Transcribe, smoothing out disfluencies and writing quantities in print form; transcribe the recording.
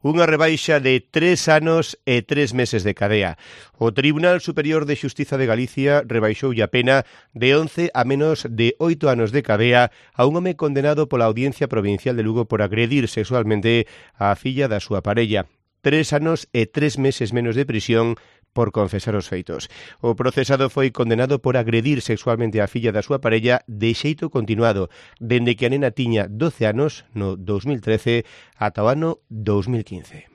Unha rebaixa de 3 anos e 3 meses de cadea. O Tribunal Superior de Xustiza de Galicia rebaixoulle a pena de 11 a menos de 8 anos de cadea a un home condenado pola Audiencia Provincial de Lugo por agredir sexualmente á filla da súa parella. 3 anos e 3 meses menos de prisión por confesar os feitos. O procesado foi condenado por agredir sexualmente á filla da súa parella de xeito continuado, dende que a nena tiña 12 anos no 2013 ata o ano 2015.